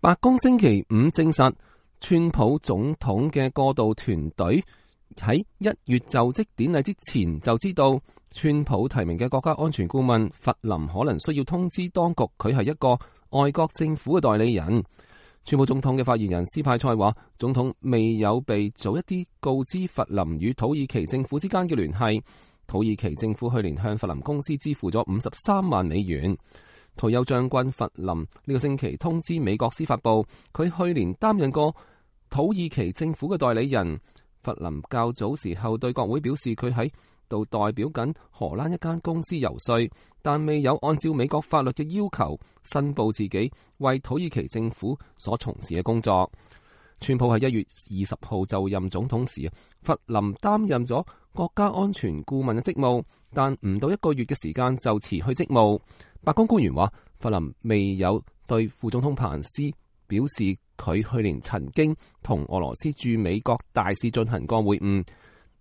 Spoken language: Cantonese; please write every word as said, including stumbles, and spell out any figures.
白宮星期五證實，川普總統嘅過渡團隊喺一月就職典禮之前就知道，川普提名嘅國家安全顧問弗林可能需要通知當局，佢係一個外國政府嘅代理人。川普總統嘅發言人斯派塞話，總統未有被早一啲告知弗林與土耳其政府之間嘅聯繫。土耳其政府去年向弗林公司支付咗五十三萬美元。退休將軍弗林呢個星期通知美國司法部，佢去年擔任過土耳其政府嘅代理人。弗林較早時候對國會表示，佢喺度代表緊荷蘭一間公司遊說，但未有按照美國法律嘅要求申報自己為土耳其政府所從事嘅工作。川普喺一月二十號就任總統時，弗林擔任咗國家安全顧問嘅職務，但唔到一個月嘅時間就辭去職務。白宮官員話，弗林未有對副總統彭斯表示佢去年曾經同俄羅斯駐美國大使進行過會晤。